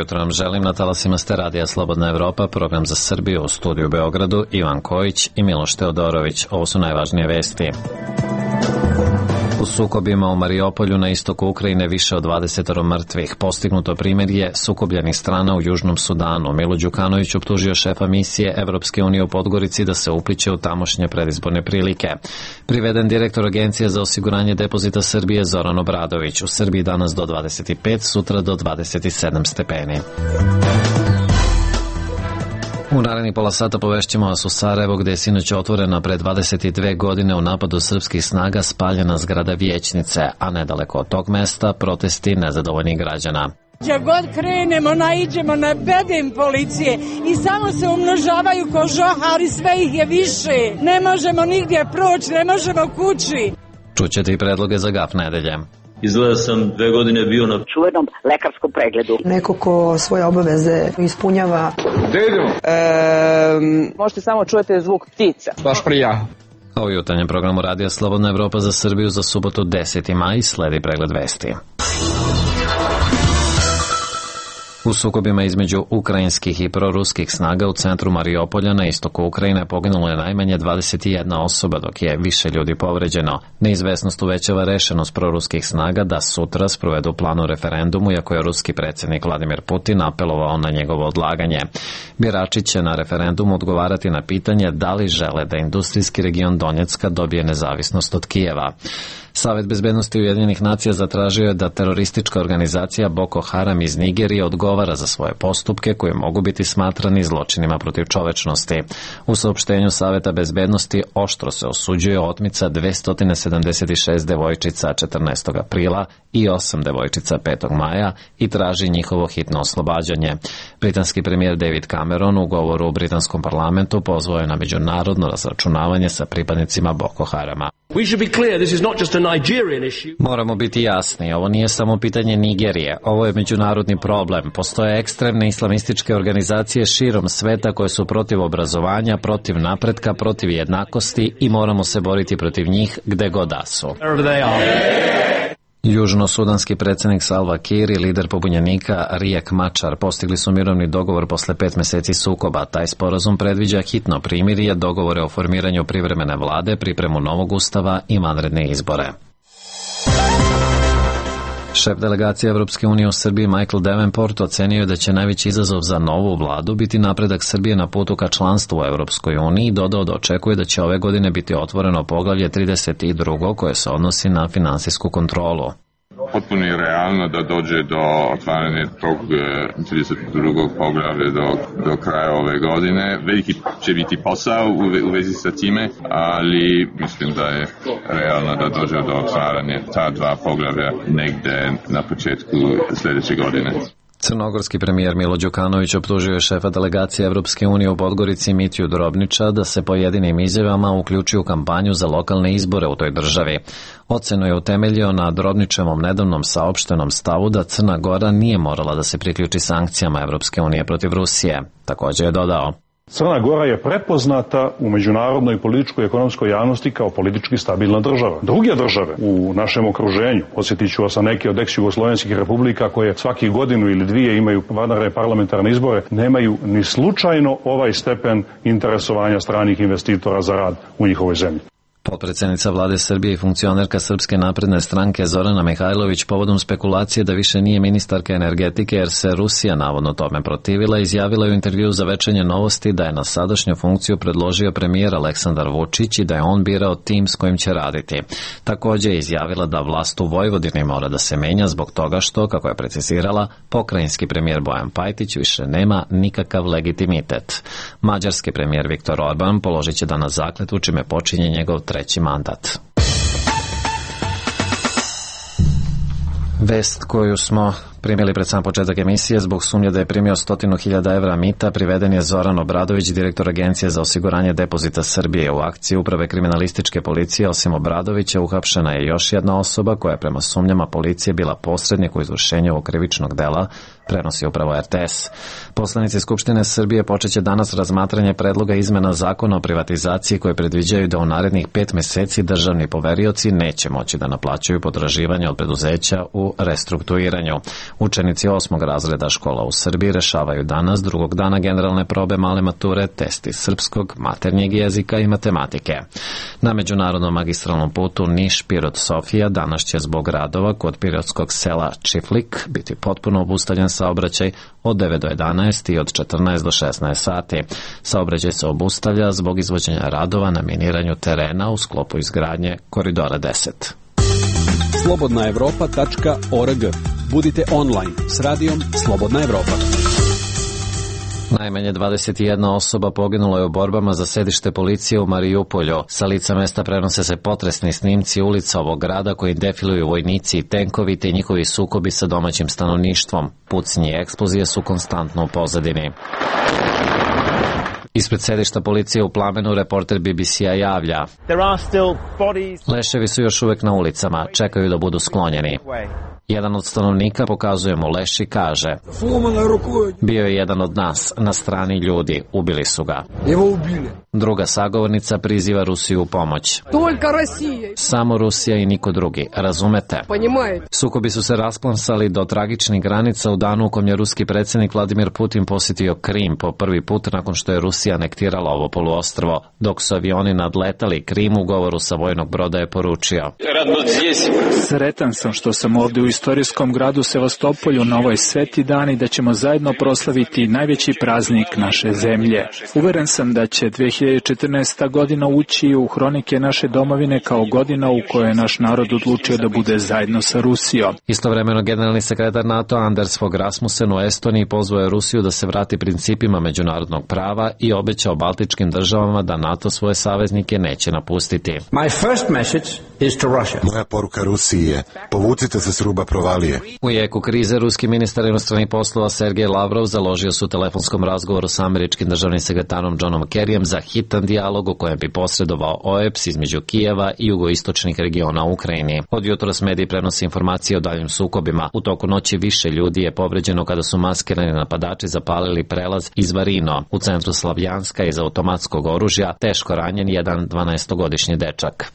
jutro vam želim, na talasima ste Radija Slobodna Evropa, program za Srbiju, u studiju u Beogradu, Ivan Kojić i Miloš Teodorović. Ovo su najvažnije vesti. U sukobima u Mariupolju na istoku Ukrajine više od 20 mrtvih. Postignuto primirje sukobljenih strana u Južnom Sudanu. Milo Đukanović optužio šefa misije Evropske unije u Podgorici da se upliće u tamošnje predizborne prilike. Priveden direktor Agencije za osiguranje depozita Srbije Zoran Obradović. U Srbiji danas do 25, sutra do 27 stepeni. U narednih pola sata povešćemo vas u Sarajevo, gde je sinoć otvorena pre 22 godine u napadu srpskih snaga spaljena zgrada vijećnice, a nedaleko od tog mesta protesti nezadovoljnih građana. Gdje god krenemo, naiđemo na bedem policije i samo se umnožavaju ko žohari, sve ih je više. Ne možemo nigdje proći, ne možemo kući. Čućete i predloge za GAF nedelje. Izgleda sam 2 godine bio na čuvenom lekarskom pregledu. Neko ko svoje obaveze ispunjava. Gde idemo? Možete samo čujete zvuk ptica. Baš prija. Ovo je jutarnjem programu Radija Slobodna Evropa za Srbiju za subotu 10. maj, sledi pregled vesti. U sukobima između ukrajinskih i proruskih snaga u centru Mariupolja na istoku Ukrajine poginulo je najmanje 21 osoba, dok je više ljudi povređeno. Neizvesnost uvećava rešenost proruskih snaga da sutra sprovedu plan o referendumu, iako je ruski predsjednik Vladimir Putin apelovao na njegovo odlaganje. Birači će na referendumu odgovarati na pitanje da li žele da industrijski region Donjecka dobije nezavisnost od Kijeva. Savet bezbednosti Ujedinjenih nacija zatražio je da teroristička organizacija Boko Haram iz Nigerije odgovara za svoje postupke koji mogu biti smatrani zločinima protiv čovečnosti. U saopštenju Saveta bezbednosti oštro se osuđuje otmica 276 devojčica 14. aprila i 8 devojčica 5. maja i traži njihovo hitno oslobađanje. Britanski premijer David Cameron u govoru u britanskom parlamentu pozvao je na međunarodno razračunavanje sa pripadnicima Boko Harama. Moramo biti jasni, ovo nije samo pitanje Nigerije, ovo je međunarodni problem. Postoje ekstremne islamističke organizacije širom sveta koje su protiv obrazovanja, protiv napretka, protiv jednakosti i moramo se boriti protiv njih gde god da su. Južno-sudanski predsjednik Salva Kiir i lider pobunjenika Riek Machar postigli su mirovni dogovor posle 5 meseci sukoba. Taj sporazum predviđa hitno primirje, dogovore o formiranju privremene vlade, pripremu novog ustava i vanredne izbore. Šef delegacije Evropske unije u Srbiji Michael Davenport ocenio da će najveći izazov za novu vladu biti napredak Srbije na putu ka članstvu u Evropskoj uniji i dodao da očekuje da će ove godine biti otvoreno poglavlje 32 koje se odnosi na finansijsku kontrolu. Potpuno je realno da dođe do otvaranja tog 32. poglavlja do kraja ove godine. Veliki će biti posao u vezi sa time, ali mislim da je realno da dođe do otvaranja ta 2 poglavlja negde na početku sljedeće godine. Crnogorski premijer Milo Đukanović optužio je šefa delegacije Evropske unije u Podgorici Mitju Drobnića da se pojedinim izjavama uključi u kampanju za lokalne izbore u toj državi. Ocenu je utemeljio na Drobnićevom nedavnom saopštenom stavu da Crna Gora nije morala da se priključi sankcijama Evropske unije protiv Rusije. Također je dodao: Crna Gora je prepoznata u međunarodnoj političkoj i ekonomskoj javnosti kao politički stabilna država. Druge države u našem okruženju, podsjetit ću vas na neke od ex-jugoslovenskih republika koje svaki godinu ili dvije imaju vanredne parlamentarne izbore, nemaju ni slučajno ovaj stepen interesovanja stranih investitora za rad u njihovoj zemlji. Potpredsjednica vlade Srbije i funkcionerka Srpske napredne stranke Zorana Mihajlović povodom spekulacije da više nije ministarka energetike jer se Rusija navodno tome protivila, izjavila je u intervjuu za Večernje novosti da je na sadašnju funkciju predložio premijer Aleksandar Vučić i da je on birao tim s kojim će raditi. Također je izjavila da vlast u Vojvodini mora da se menja zbog toga što, kako je precizirala, pokrajinski premijer Bojan Pajtić više nema nikakav legitimitet. Mađarski premijer Viktor Orban položit će danas zakletvu čime počinje njegov 3. mandat. Vest koju smo primili pred sam početak emisije: zbog sumnje da je primio 100.000 evra mita, priveden je Zoran Obradović, direktor Agencije za osiguranje depozita Srbije. U akciji Uprave kriminalističke policije, osim Obradovića, uhapšena je još jedna osoba koja je prema sumnjama policije bila posrednik u izvršenju ovog krivičnog dela, prenosi upravo RTS. Poslanici Skupštine Srbije počeće danas razmatranje predloga izmena zakona o privatizaciji koje predviđaju da u narednih 5 meseci državni poverioci neće moći da naplaćuju potraživanja od preduzeća u restrukturiranju. Učenici 8. razreda škola u Srbiji rešavaju danas, drugog dana, generalne probe male mature, testi srpskog, maternjeg jezika i matematike. Na međunarodnom magistralnom putu Niš-Pirot-Sofija danas će zbog radova kod pirotskog sela Čiflik biti potpuno obustavljen saobraćaj od 9 do 11 i od 14 do 16 sati. Saobraćaj se obustavlja zbog izvođenja radova na miniranju terena u sklopu izgradnje Koridora 10. slobodnaevropa.org. Budite online s radijom Slobodna Evropa. Najmanje 21 osoba poginulo je u borbama za sedište policije u Marijupolju. Sa lica mesta prenose se potresni snimci ulica ovog grada koji defiluju vojnici i tenkovi te njihovi sukobi sa domaćim stanovništvom. Pucnji i eksplozije su konstantno u pozadini. Ispred sedišta policije u plamenu reporter BBC-a javlja: leševi su još uvek na ulicama, čekaju da budu sklonjeni. Jedan od stanovnika pokazuje mu leš i kaže: bio je jedan od nas, na strani ljudi, ubili su ga. Druga sagovornica priziva Rusiju u pomoć. Samo Rusija i niko drugi, razumete? Sukobi su se rasplamsali do tragičnih granica u danu u kom je ruski predsjednik Vladimir Putin posjetio Krim po prvi put nakon što je Rusija anektirala ovo poluostrvo. Dok su avioni nadletali Krim, u govoru sa vojnog broda je poručio: sretan sam što sam ovdje u istorijskom gradu Sevastopolju na ovoj sveti dan i da ćemo zajedno proslaviti najveći praznik naše zemlje. Uveren sam da će 2014. godina ući u hronike naše domovine kao godina u kojoj je naš narod odlučio da bude zajedno sa Rusijom. Istovremeno generalni sekretar NATO Anders Fogh Rasmussen u Estoniji pozvao je Rusiju da se vrati principima međunarodnog prava i obećao baltičkim državama da NATO svoje saveznike neće napustiti. Moja poruka Rusiji je: povucite se s ruba provalije. U jeku krize ruski ministar inostranih poslova Sergej Lavrov založio se u telefonskom razgovoru sa američkim državnim sekretarom Johnom Kerryjem za hitan dijalog u kojem bi posredovao OEBS između Kijeva i jugoistočnih regiona u Ukrajini. Od jutros mediji prenose informacije o daljim sukobima. U toku noći više ljudi je povređeno kada su maskirani napadači zapalili prelaz iz Varino u centru Slavjanska iz automatskog oružja, teško ranjen jedan 12-godišnji dečak.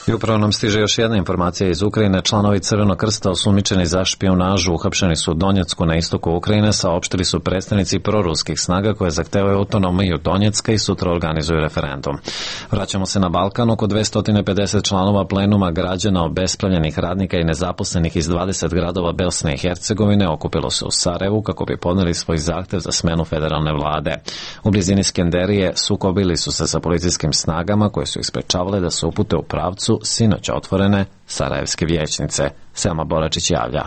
I upravo nam stiže još jedna informacija iz Ukrajine. Članovi Crvenog krsta osumnjičeni za špijunažu uhapšeni su u Donjecku na istoku Ukrajine, saopštili su predstavnici proruskih snaga koje zahtevaju autonomiju Donjecka i sutra organizuju referendum. Vraćamo se na Balkan. Oko 250 članova plenuma građana, obespravljenih radnika i nezaposlenih iz 20 gradova Bosne i Hercegovine okupilo se u Sarajevu kako bi podneli svoj zahtev za smenu federalne vlade. U blizini Skenderije sukobili su se sa policijskim snagama koje su ih sprečavale da se upute u pravcu sinoć otvorene sarajevske vijećnice. Selma Boračić javlja.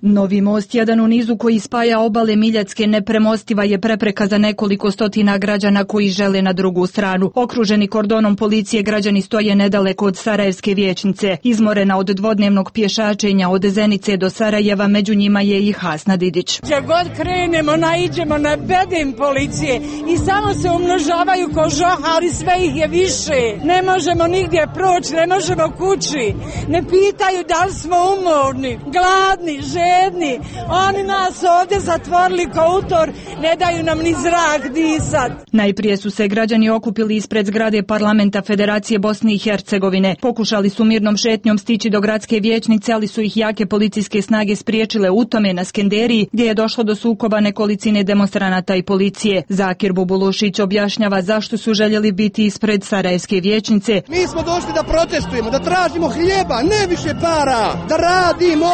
Novi most, jedan u nizu koji spaja obale Miljacke, nepremostiva je prepreka za nekoliko stotina građana koji žele na drugu stranu. Okruženi kordonom policije, građani stoje nedaleko od Sarajevske vijećnice. Izmorena od dvodnevnog pješačenja od Zenice do Sarajeva, među njima je i Hasna Didić. Gdje god krenemo, naiđemo na bedem policije i samo se umnožavaju ko žohari, sve ih je više. Ne možemo nigdje proći, ne možemo kući. Ne pitaju da li smo umorni, gladni, žedni. Oni nas ovdje zatvorili kao utor, ne daju nam ni zrak disat. Najprije su se građani okupili ispred zgrade Parlamenta Federacije Bosne i Hercegovine. Pokušali su mirnom šetnjom stići do gradske vijećnice, ali su ih jake policijske snage spriječile u tome na Skenderiji, gdje je došlo do sukoba nekolicine demonstranata i policije. Zakir Bubulušić objašnjava zašto su željeli biti ispred Sarajevske vijećnice. Mi smo došli da protestujemo, da tražimo hljeba, ne više para, da radimo.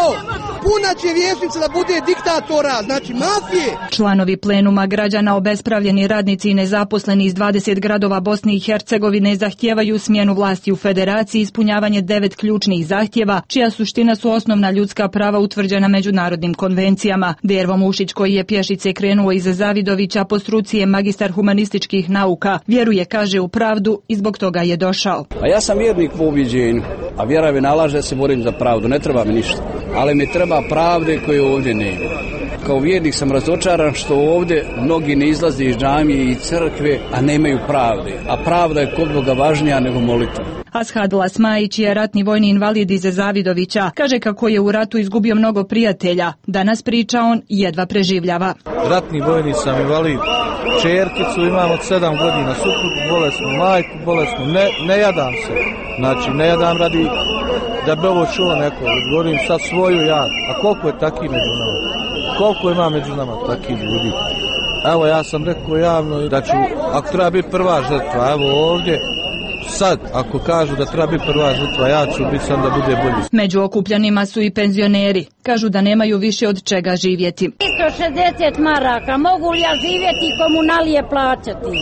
Puna će vijećnica da bude diktatora, znači mafije. Članovi plenuma građana, obespravljeni radnici i nezaposleni iz 20 gradova Bosne i Hercegovine zahtijevaju smjenu vlasti u federaciji, ispunjavanje 9 ključnih zahtjeva, čija suština su osnovna ljudska prava utvrđena međunarodnim konvencijama. Dervo Mušić, koji je pješice krenuo iz Zavidovića, po struci je magistar humanističkih nauka, vjeruje, kaže, u pravdu i zbog toga je došao. A ja sam vjernik po ubjeđenju, a vjera mi nalaže da se borim za pravdu, ne treba mi ništa, ali mi treba pravde koje ovdje nema. Kao vjernik sam razočaran što ovdje mnogi ne izlaze iz džamije i crkve, a nemaju pravde. A pravda je kod Boga važnija nego molitva. Ashad Lasmajić je ratni vojni invalid iz Zavidovića. Kaže kako je u ratu izgubio mnogo prijatelja. Danas, priča on, jedva preživljava. Ratni vojni sam invalid. Čerkicu imam od 7 godina, suprugu bolesnu, majku bolesnu. Ne jadam se. Znači, ne jadam radi da bi ovo čuo neko, govorim sad svoju ja. A koliko je takih među nama? Koliko ima među nama takih ljudi? Evo ja sam rekao javno da ću, ako treba biti prva žrtva, evo ovdje, sad, ako kažu da treba biti prva žrtva, ja ću biti sam da bude bolji. Među okupljanima su i penzioneri. Kažu da nemaju više od čega živjeti. 160 maraka, mogu li ja živjeti i komunalije plaćati?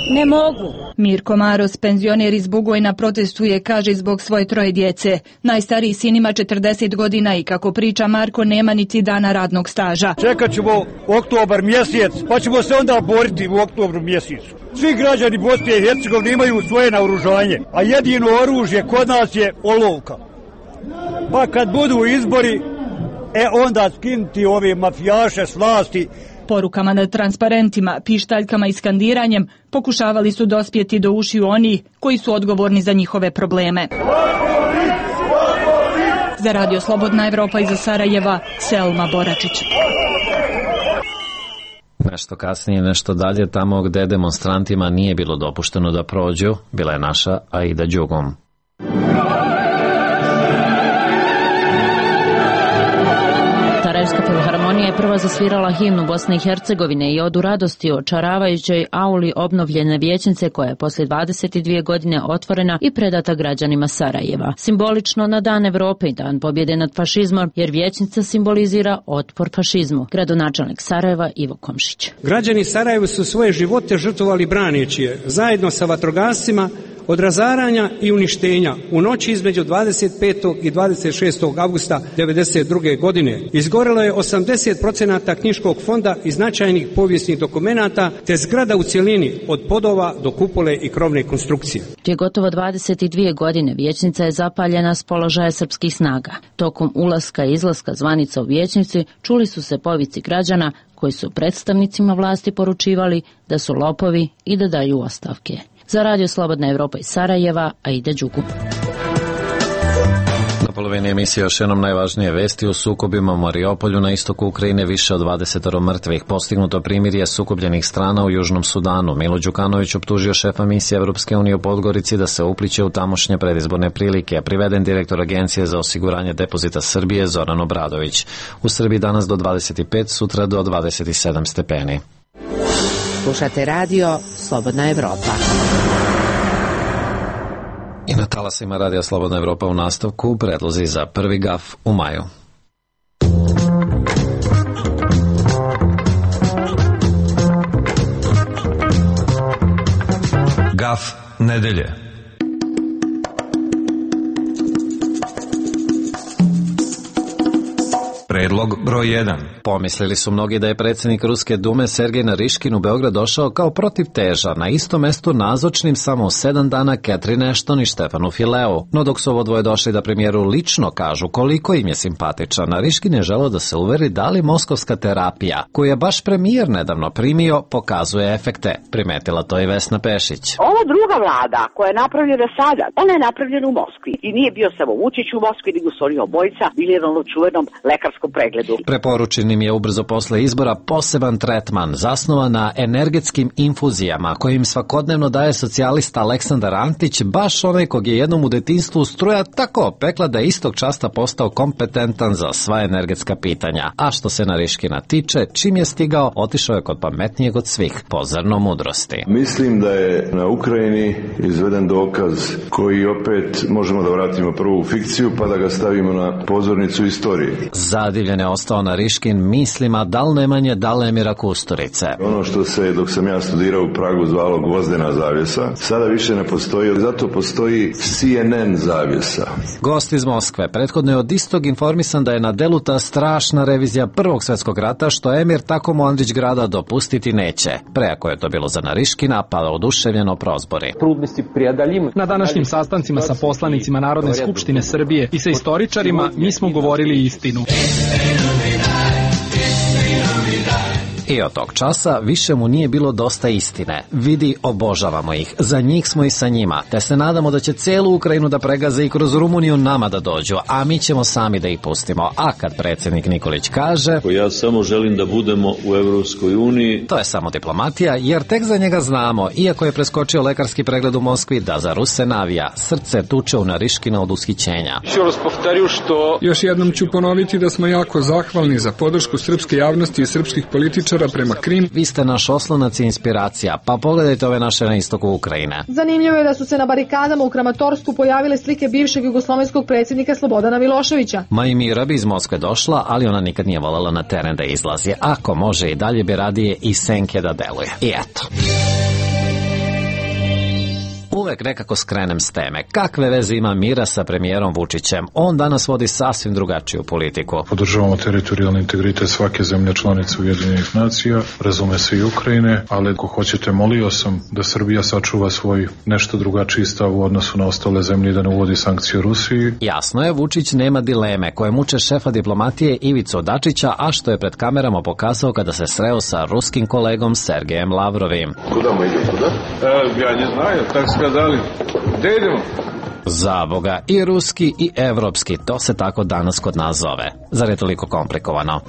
Ne mogu. Mirko Maros, penzioner iz Bugojna, protestuje, kaže, zbog svoje 3 djece. Najstariji sin ima 40 godina i, kako priča Marko, nema niti dana radnog staža. Čekat ćemo oktobar mjesec, pa ćemo se onda boriti u oktobru mjesecu. Svi građani Bosne i Hercegovine imaju svoje naoružanje, a jedino oružje kod nas je olovka. Pa kad budu izbori, onda skinuti ove mafijaše s vlasti. Porukama na transparentima, pištaljkama i skandiranjem pokušavali su dospjeti do ušiju oni koji su odgovorni za njihove probleme. Za Radio Slobodna Evropa iz Sarajeva, Selma Boračić. Nešto kasnije, nešto dalje, tamo gde demonstrantima nije bilo dopušteno da prođu, bila je naša Aida Đugum. Sarajevska filharmonija je prva zasvirala himnu Bosne i Hercegovine i odu radosti o čaravajućoj auli obnovljene vijećnice koja je poslije 22 godine otvorena i predata građanima Sarajeva. Simbolično na Dan Evrope i Dan pobjede nad fašizmom, jer vijećnica simbolizira otpor fašizmu. Gradonačelnik Sarajeva Ivo Komšić. Građani Sarajeva su svoje živote žrtvovali braneći je, zajedno sa vatrogascima, od razaranja i uništenja u noći između 25. i 26. avgusta 1992. godine. Izgorelo je 80% knjiškog fonda i značajnih povijesnih dokumenata, te zgrada u cjelini od podova do kupole i krovne konstrukcije. Prije gotovo 22 godine vijećnica je zapaljena s položaja srpskih snaga. Tokom ulaska i izlaska zvanica u vijećnici čuli su se povici građana koji su predstavnicima vlasti poručivali da su lopovi i da daju ostavke. Za Radio Slobodna Evropa iz Sarajeva, Aida Đugum. Na polovini emisije još jednom najvažnije vesti o sukobima u Mariupolju na istoku Ukrajine, više od 20 mrtvih. Postignuto primirje sukobljenih strana u Južnom Sudanu. Milo Đukanović optužio šefa misije Evropske unije u Podgorici da se upliće u tamošnje predizborne prilike. Priveden direktor Agencije za osiguranje depozita Srbije Zoran Obradović. U Srbiji danas do 25, sutra do 27 stepeni. Slušate radio Slobodna Evropa. I na talasima Radija Slobodna Evropa u nastavku predlozi za prvi gaf u maju. Gaf nedelje. Predlog broj 1. Pomislili su mnogi da je predsjednik Ruske dume Sergej Nariškin u Beograd došao kao protivteža, na isto mestu nazočnim samo 7 dana Catherine Ashton i Štefanu Fileu. No dok su ovo dvoje došli da premijeru lično kažu koliko im je simpatičan, Nariškin je želeo da se uveri da li moskovska terapija, koju je baš premijer nedavno primio, pokazuje efekte. Primetila to i Vesna Pešić. Ova druga vlada koja je napravljena sada, ona je napravljena u Moskvi. I nije bio samo Vučić u Moskvi, nego su oni obojica bili na onom čuvenom lekarskom pregledu. Preporučen im je ubrzo posle izbora poseban tretman zasnovan na energetskim infuzijama kojim svakodnevno daje socijalista Aleksandar Antić, baš onaj kog je jednom u detinjstvu struja tako opekla da je istog časta postao kompetentan za sva energetska pitanja. A što se Nariškina tiče, čim je stigao, otišao je kod pametnijeg od svih, po zrno mudrosti. Mislim da je na Ukrajini izveden dokaz koji opet možemo da vratimo prvu fikciju pa da ga stavimo na pozornicu istorije. Zadivljen je ostao Nariškin mislima dal Nemanje, dal Emira Kusturice. Ono što se, dok sam ja studirao u Pragu, zvalo gvozdena zavjesa, sada više ne postoji, zato postoji CNN zavjesa. Gost iz Moskve prethodno je od istog informisan da je na delu ta strašna revizija Prvog svjetskog rata, što Emir tako mu Andrić grada dopustiti neće. Preako je to bilo za Nariškina, pa oduševljeno prozbori. Na današnjim sastancima sa poslanicima Narodne skupštine Srbije i sa istoričarima mi smo govorili istinu. I od tog časa više mu nije bilo dosta istine. Vidi, obožavamo ih, za njih smo i sa njima, te se nadamo da će celu Ukrajinu da pregaze i kroz Rumuniju nama da dođu, a mi ćemo sami da ih pustimo. A kad predsjednik Nikolić kaže: ja samo želim da budemo u Evropskoj uniji, to je samo diplomatija, jer tek za njega znamo, iako je preskočio lekarski pregled u Moskvi, da za Ruse navija, srce tuče u Nariškina od ushićenja. Još jednom ću ponoviti da smo jako zahvalni za podršku srpske javnosti i srpskih političara prema Krim. Vi ste naš oslonac i inspiracija, pa pogledajte ove naše na istoku Ukrajine. Zanimljivo je da su se na barikadama u Kramatorsku pojavile slike bivšeg jugoslovenskog predsjednika Slobodana Miloševića. Majmira bi iz Moskve došla, ali ona nikad nije voljela na teren da izlazi. Ako može i dalje bi radije i senke da deluje. I eto. Uvek nekako skrenem s teme. Kakve veze ima Mira sa premijerom Vučićem? On danas vodi sasvim drugačiju politiku. Podržavamo teritorijalni integritet svake zemlje članice Ujedinjenih nacija, razume se i Ukrajine, ali ako hoćete, molio sam da Srbija sačuva svoj nešto drugačiji stav u odnosu na ostale zemlje i da ne uvodi sankcije Rusiji. Jasno je, Vučić nema dileme koje muče šefa diplomatije Ivicu Dačića, a što je pred kamerama pokazao kada se sreo sa ruskim kolegom Sergejem Lavrovim. Kuda mu ide, kuda? Ja ne znaju, tako skazali. Gde idemo? Za Boga, i ruski i evropski, to se tako danas kod nas zove. Zar je toliko komplikovano?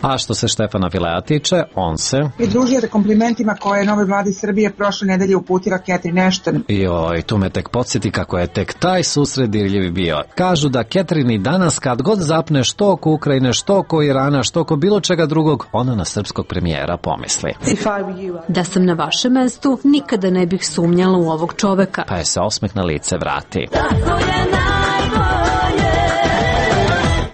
A što se Štefana Filea tiče, on se pridružio komplimentima koje je novoj vladi Srbije prošle nedelje uputila Catherine Ashton. Joj, tu me tek podsjeti kako je tek taj susret dirljiv bio. Kažu da Catherine i danas kad god zapne što oko Ukrajine, što oko Irana, što oko bilo čega drugog, ona na srpskog premijera pomisli: da sam na vašem mestu, nikada ne bih sumnjala u ovog čoveka. Pa je se osmeh na lice vrati.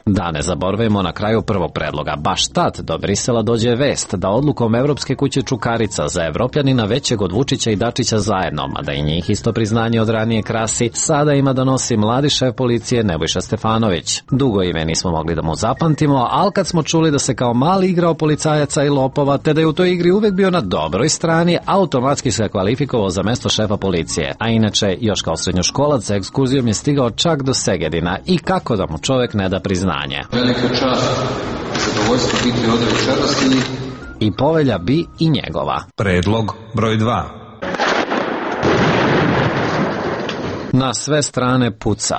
Da ne zaboravimo na kraju prvog predloga. Baš tad do Brisela dođe vest da odlukom Evropske kuće Čukarica za Evropljanina većeg od Vučića i Dačića zajedno, mada i njih isto priznanje od ranije krasi, sada ima da nosi mladi šef policije Nebojša Stefanović. Dugo ime nismo mogli da mu zapamtimo, ali kad smo čuli da se kao mali igrao policajaca i lopova, te da je u toj igri uvek bio na dobroj strani, automatski se kvalifikovao za mesto šefa policije. A inače, još kao srednjoškolac sa ekskurzijom je stigao čak do Segedina i kako da mu čovek ne da priznanje. Velika čast, zadovoljstvo biti ovdje večeras i povelja bi i njegova. Predlog broj 2. Na sve strane puca.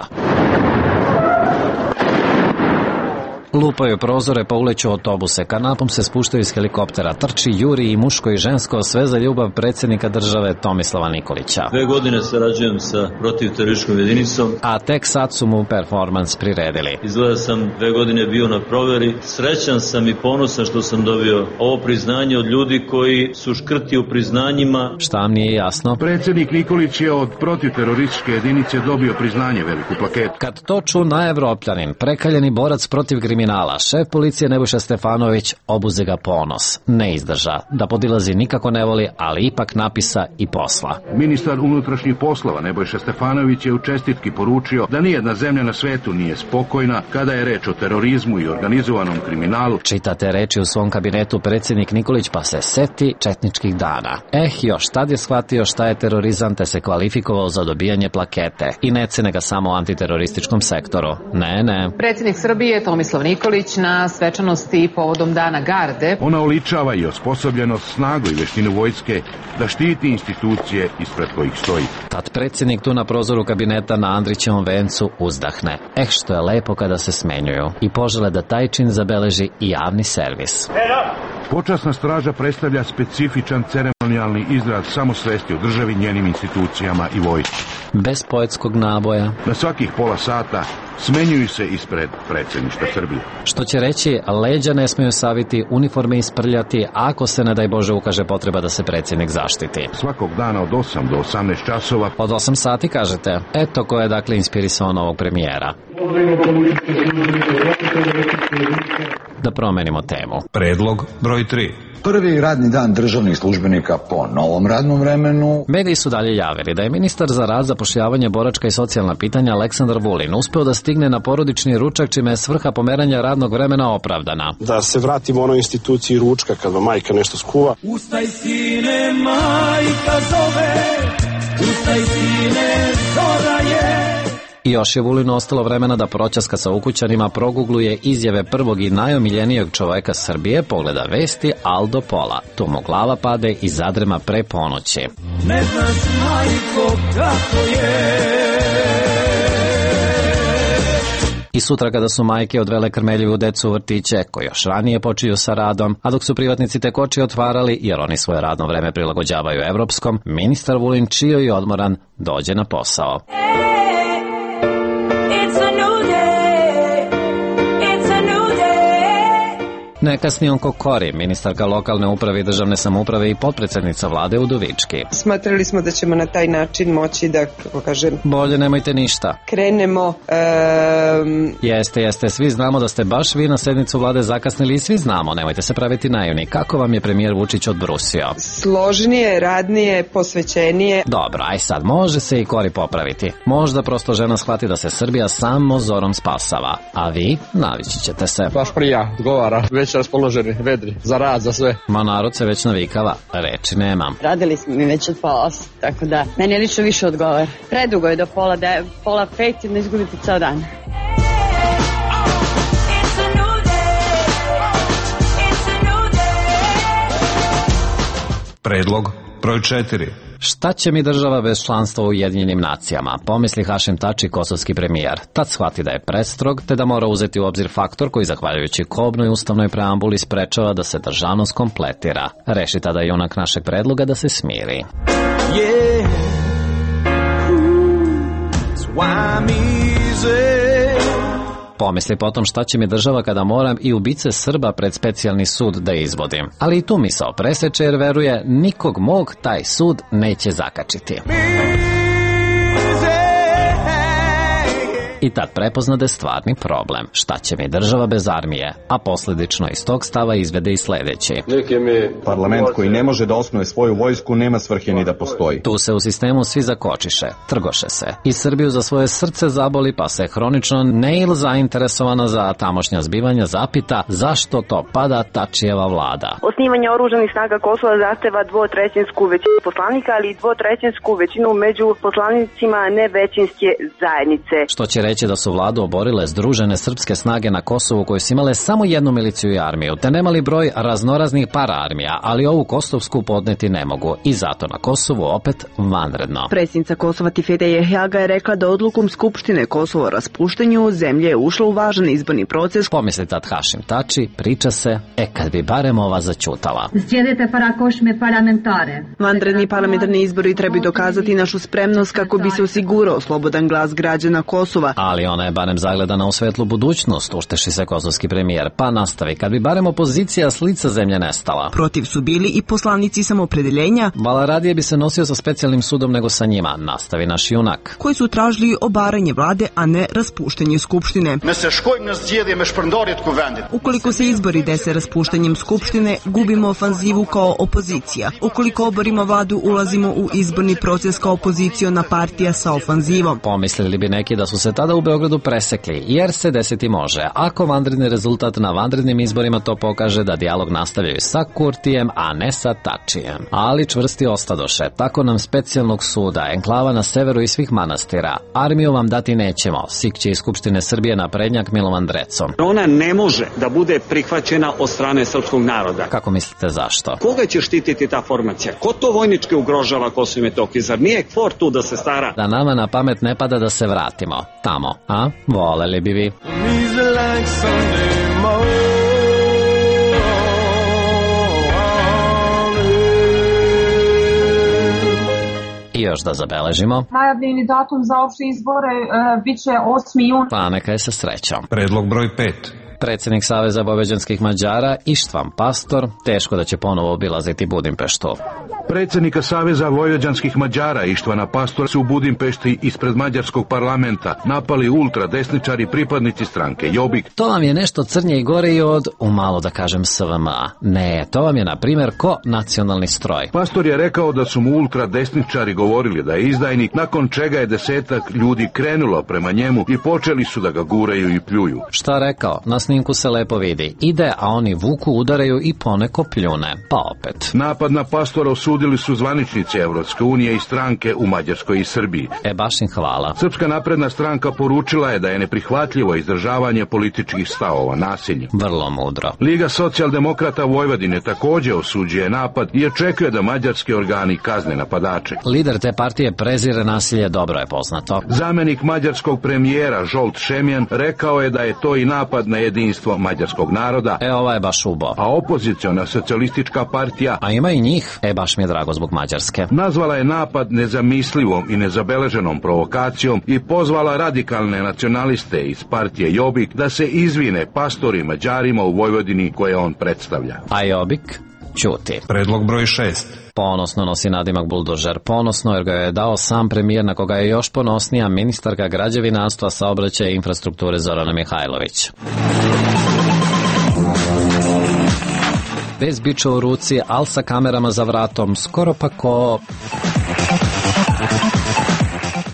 Lupaju prozore, pa uleću autobuse, kanapom se spuštaju iz helikoptera, trči, juri i muško i žensko, sve za ljubav predsjednika države Tomislava Nikolića. 2 godine sarađujem sa protivterorističkom jedinicom, a tek sad su mu performans priredili. Izgleda sam 2 godine bio na proveri, srećan sam i ponosan što sam dobio ovo priznanje od ljudi koji su škrti u priznanjima. Šta vam nije jasno? Predsjednik Nikolić je od protivterorističke jedinice dobio priznanje, veliku plaketu. Kad to ču na Evropljanin, prekaljeni borac protiv kriminala, šef policije Nebojša Stefanović, obuze ga ponos. Ne izdrža, da podilazi nikako ne voli, ali ipak napisa i posla. Ministar unutrašnjih poslova Nebojša Stefanović je u čestitki poručio da nijedna zemlja na svetu nije spokojna kada je reč o terorizmu i organizovanom kriminalu. Čitate reči u svom kabinetu predsjednik Nikolić, pa se seti četničkih dana. Još tad je shvatio šta je terorizam, te se kvalifikovao za dobijanje plakete. I ne cene ga samo u antiterorističkom sektoru. Ne. Predsjednik Srbije Tomislav Nikolić na svečanosti povodom Dana Garde. Ona oličava i osposobljenost, snagu i veštinu vojske da štiti institucije ispred kojih stoji. Tad predsjednik tu na prozoru kabineta na Andrićevom vencu uzdahne. Što je lepo kada se smenjuju i požele da taj čin zabeleži i javni servis. Počasna straža predstavlja specifičan ceremonijalni izraz samosvesti o državi, njenim institucijama i vojsci. Bez poetskog naboja. Na svakih pola sata smenjuju se ispred predsjedništva Srbije. Što će reći, leđa ne smiju saviti, uniforme isprljati, ako se, ne daj Bože, ukaže potreba da se predsjednik zaštiti. Svakog dana od 8 do 18 časova. Od 8 sati, kažete? Eto ko je dakle inspirisao novog premijera. Da promenimo temu. Predlog broj 3. Prvi radni dan državnih službenika po novom radnom vremenu. Mediji su dalje javili da je ministar za rad, zapošljavanje, boračka i socijalna pitanja Aleksandar Vulin uspeo da stigne na porodični ručak, čime je svrha pomeranja radnog vremena opravdana. Da se vratimo onoj instituciji ručka kad vam majka nešto skuva. Ustaj sine, majka zove, ustaj sine, zora je. I Još je Vulinu ostalo vremena da proćaska sa ukućanima, progugluje izjave prvog i najomiljenijeg čoveka Srbije, pogleda vesti Aldo Pola. Tu mu glava pade i zadrema pre ponoći. Ne znaš, majko, kako je. I sutra kada su majke odvele krmeljivu decu u vrtiće, koji još ranije počinju sa radom, a dok su privatnici tek oči otvarali, jer oni svoje radno vreme prilagođavaju evropskom, ministar Vulin, čio i odmoran, dođe na posao. Nekasni on Kokori, ministarka lokalne uprave i državne samouprave i potpredsednica vlade Udovički. Smatrali smo da ćemo na taj način moći da, kako kažem... Bolje nemojte ništa. Krenemo... Jeste, svi znamo da ste baš vi na sednicu vlade zakasnili i svi znamo, nemojte se praviti naivni. Kako vam je premijer Vučić odbrusio? Složnije, radnije, posvećenije. Dobro, aj sad, može se i Kori popraviti. Možda prosto žena shvati da se Srbija samo zorom spasava. A vi, navići ćete se. Baš prija, odgovara, već raspoloženi, vedri, za rad, za sve. Ma narod se već navikava, reči nemam. Radili smo mi već od 8, tako da meni lično više odgovara. Predugo je do pola 5 i ne izgubiti ceo dan. Predlog broj 4. Šta će mi država bez članstva u Ujedinjenim nacijama, pomisli Hašim Tači, kosovski premijer. Tad shvati da je prestrog, te da mora uzeti u obzir faktor koji, zahvaljujući kobnoj ustavnoj preambuli, sprečava da se državnost kompletira. Reši tada junak našeg predloga da se smiri. Yeah. Why I'm easy. Pomisli potom šta će mi država kada moram i ubice Srba pred specijalni sud da izvodim. Ali i tu misao preseče jer veruje nikog mog taj sud neće zakačiti. I tad prepozna da je stvarni problem. Šta će mi država bez armije? A posljedično iz tog stava izvede i sledeći. Parlament koji ne može da osnuje svoju vojsku nema svrhe ni da postoji. Tu se u sistemu svi zakočiše, trgoše se. I Srbiju za svoje srce zaboli, pa se hronično neil zainteresovana za tamošnja zbivanja zapita zašto to pada Tačijeva vlada. Osnivanje oružanih snaga Kosova zahteva 2/3 većinu poslanika, ali i 2/3 većinu među poslanicima nevećinske zajednice. Što će reći da su vladu oborile združene srpske snage na Kosovu koje su imale samo jednu miliciju i armiju, te nemali broj raznoraznih paraarmija, ali ovu kosovsku podneti ne mogu i zato na Kosovu opet vanredno. Predsjednica Kosova Tifete Jehjaga je rekla da odlukom Skupštine Kosovo o raspuštanju zemlje je ušla u važan izborni proces. Pomisli tad Hašim Tači, priča se, kad bi barem ova začutala. Vanredni parlamentarni izbori trebaju dokazati našu spremnost kako bi se osigurao slobodan glas građana Kosova. Ali ona je barem zagledana u svetlu budućnost, ušteši se kosovski premijer, pa nastavi, kad bi barem opozicija s lica zemlje nestala. Protiv su bili i poslanici Samoopredeljenja. Vala radije bi se nosio sa specijalnim sudom nego sa njima, nastavi naš junak. Koji su tražili obaranje vlade, a ne raspuštanje Skupštine. Ukoliko se izbori dese raspuštanjem Skupštine, gubimo ofanzivu kao opozicija. Ukoliko oborimo vladu, ulazimo u izborni proces kao opoziciona partija sa ofanzivom. Pomislili bi neki da su se tada u Beogradu presekli, jer se desiti može. Ako vanredni rezultat na vanrednim izborima to pokaže da dijalog nastavljaju sa Kurtijem, a ne sa Tačijem. Ali čvrsti ostadoše, tako nam specijalnog suda, enklava na severu i svih manastira. Armiju vam dati nećemo, sikće iz Skupštine Srbije naprednjak Milovan Drecon. Ona ne može da bude prihvaćena od strane srpskog naroda. Kako mislite zašto? Koga će štititi ta formacija? Ko to vojnički ugrožava Kosovo i Metohiju? Zar nije KFOR tu da se stara? Da nama na pamet ne pada da se vratimo tamo, a? Voleli bi vi. I još da zabeležimo. Najavljeni datum za opšte izbore biće 8. jun. Pa neka je sa srećom. Predlog broj 5. Predsjednik Saveza vojvođanskih Mađara Ištvan Pastor teško da će ponovo obilaziti Budimpeštu. Predsjednika Saveza vojvođanskih Mađara Ištvana Pastora su u Budimpešti ispred mađarskog parlamenta napali ultradesničari pripadnici stranke Jobbik. To vam je nešto crnje i gore i od, umalo da kažem, SVM-a. Ne, to vam je na primjer ko nacionalni stroj. Pastor je rekao da su mu ultradesničari govorili da je izdajnik, nakon čega je 10 ljudi krenulo prema njemu i počeli su da ga guraju i pljuju. Šta rekao? Na snimku se lepo vidi. Ide, a oni vuku, udaraju i poneko pljune. Pa opet. Napad na pastora osudili su zvaničnici Evropske unije i stranke u Mađarskoj i Srbiji. Baš im hvala. Srpska napredna stranka poručila je da je neprihvatljivo izdržavanje političkih stavova nasiljem. Vrlo mudro. Liga socijaldemokrata Vojvodine također osuđuje napad i očekuje da mađarski organi kazne napadače. Lider te partije prezire nasilje, dobro je poznato. Zamjenik mađarskog premijera Zsolt Šemjan rekao je da je to i napad na jedinstvo mađarskog naroda. Ova je baš ubo. A opoziciona socijalistička partija, a ima i njih, baš mi je drago zbog Mađarske, nazvala je napad nezamislivom i nezabeleženom provokacijom i pozvala radikalne nacionaliste iz partije Jobbik da se izvine pastori Mađarima u Vojvodini koje on predstavlja. A Jobbik ćuti. Predlog broj 6. Ponosno nosi nadimak buldožer. Ponosno jer ga je dao sam premijer, na koga je još ponosnija ministarka građevinarstva, saobraćaja i infrastrukture Zorana Mihajlović. Bez biča u ruci, al sa kamerama za vratom, skoro pa ko...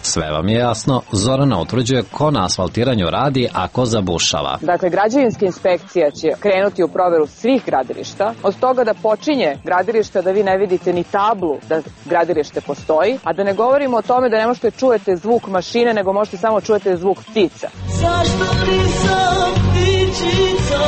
Sve vam je jasno, Zorana utvrđuje ko na asfaltiranju radi, a ko zabušava. Dakle, građevinska inspekcija će krenuti u proveru svih gradilišta, od toga da počinje gradilišta da vi ne vidite ni tablu da gradilište postoji, a da ne govorimo o tome da ne možete čujete zvuk mašine, nego možete samo čujete zvuk ptica. Zašto nisam ptičica?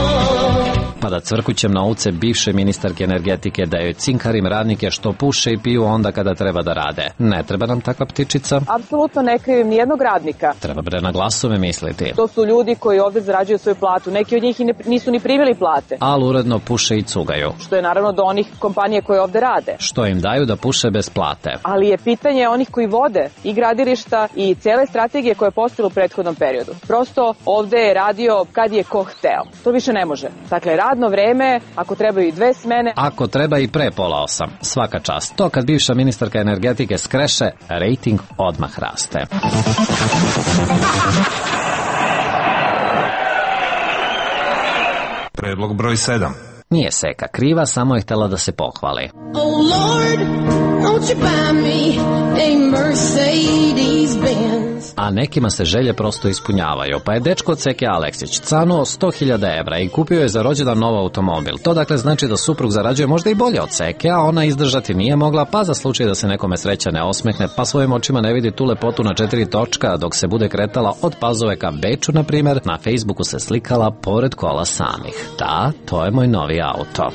Pa da cvrkućem na uce bivše ministarke energetike da joj cinkarim radnike što puše i piju onda kada treba da rade. Ne treba nam takva ptičica? Apsolutno ne krivim nijednog radnika. Treba bre na glasove misliti. To su ljudi koji ovde zarađuju svoju platu. Neki od njih nisu ni primili plate. Ali uredno puše i cugaju. Što je naravno do onih kompanije koje ovde rade. Što im daju da puše bez plate. Ali je pitanje onih koji vode i gradilišta i cele strategije koje je postalo u prethodnom periodu. Prosto ovde je radio kad je ko hteo. To više ne može. Dakle, radno vreme, ako trebaju i 2 smene. Ako treba i pre 7:30. Svaka čast. To kad bivša ministarka energetike skreše, rejting odmah raste. Predlog broj 7. Nije Seka kriva, samo je htjela da se pohvali. Oh Lord, won't you buy me a Mercedes Benz? A nekima se želje prosto ispunjavaju, pa je dečko od Seke Aleksić canuo 100.000 evra i kupio je za rođendan nov automobil. To dakle znači da suprug zarađuje možda i bolje od Seke, a ona izdržati nije mogla, pa za slučaj da se nekome sreća ne osmehne, pa svojim očima ne vidi tu lepotu na 4 točka, dok se bude kretala od Pazove ka Beču, na primjer, na Facebooku se slikala pored kola samih. Da, to je moj novi auto.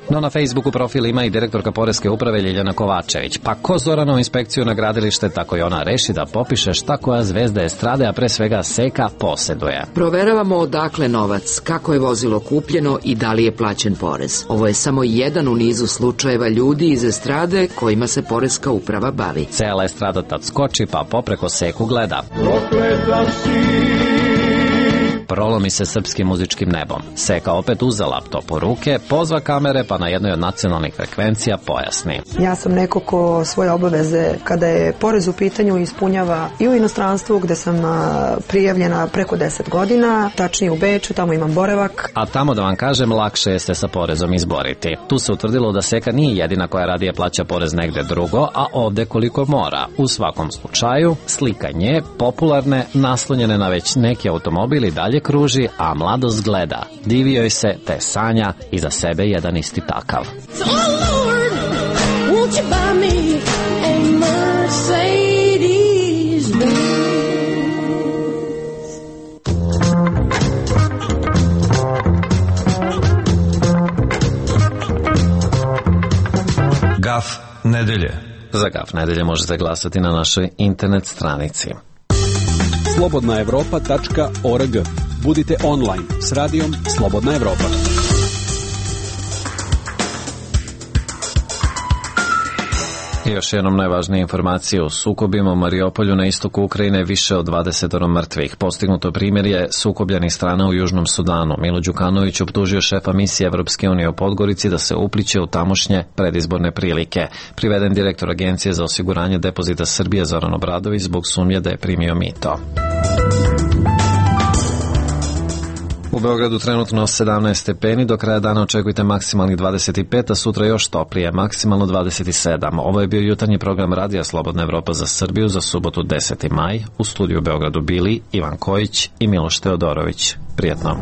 No na Facebooku profil ima i direktorka Poreske uprave Ljiljana Kovačević. Pa ko Zoranovu inspekciju na gradilište, tako i ona reši da popiše šta koja zvezda estrade, a pre svega Seka, poseduje. Proveravamo odakle novac, kako je vozilo kupljeno i da li je plaćen porez. Ovo je samo jedan u nizu slučajeva ljudi iz estrade kojima se Poreska uprava bavi. Cela estrada tad skoči, pa popreko Seku gleda. Prolomi se srpskim muzičkim nebom. Seka opet uze laptop u ruke, pozva kamere, pa na jednoj od nacionalnih frekvencija pojasni. Ja sam neko ko svoje obaveze, kada je porez u pitanju, ispunjava i u inostranstvu, gde sam prijavljena preko 10 godina, tačnije u Beču, tamo imam boravak. A tamo, da vam kažem, lakše je se sa porezom izboriti. Tu se utvrdilo da Seka nije jedina koja radije plaća porez negde drugo, a ovde koliko mora. U svakom slučaju, slika nje, popularne, naslonjene na već neki automobil i dalje kruži, a mladost gleda. Divi joj se, te sanja i za sebe jedan isti takav. Oh Lord, won't you buy me a Mercedes Benz? Gaf nedelje. Za Gaf nedelje možete glasati na našoj internet stranici. slobodnaevropa.org. Budite online s radijom Slobodna Evropa. I još jednom najvažnije informacije o sukobima u Mariupolju na istoku Ukrajine, više od 20 mrtvih. Postignuto primirje sukobljenih strana u Južnom Sudanu. Milo Đukanović optužio šefa misije Evropske unije u Podgorici da se upliće u tamošnje predizborne prilike. Priveden direktor Agencije za osiguranje depozita Srbije Zoran Obradović zbog sumnje da je primio mito. U Beogradu trenutno 17 stepeni, do kraja dana očekujte maksimalnih 25, a sutra još toplije, maksimalno 27. Ovo je bio jutarnji program Radija Slobodna Evropa za Srbiju za subotu 10. maj. U studiju u Beogradu bili Ivan Kojić i Miloš Teodorović. Prijetno.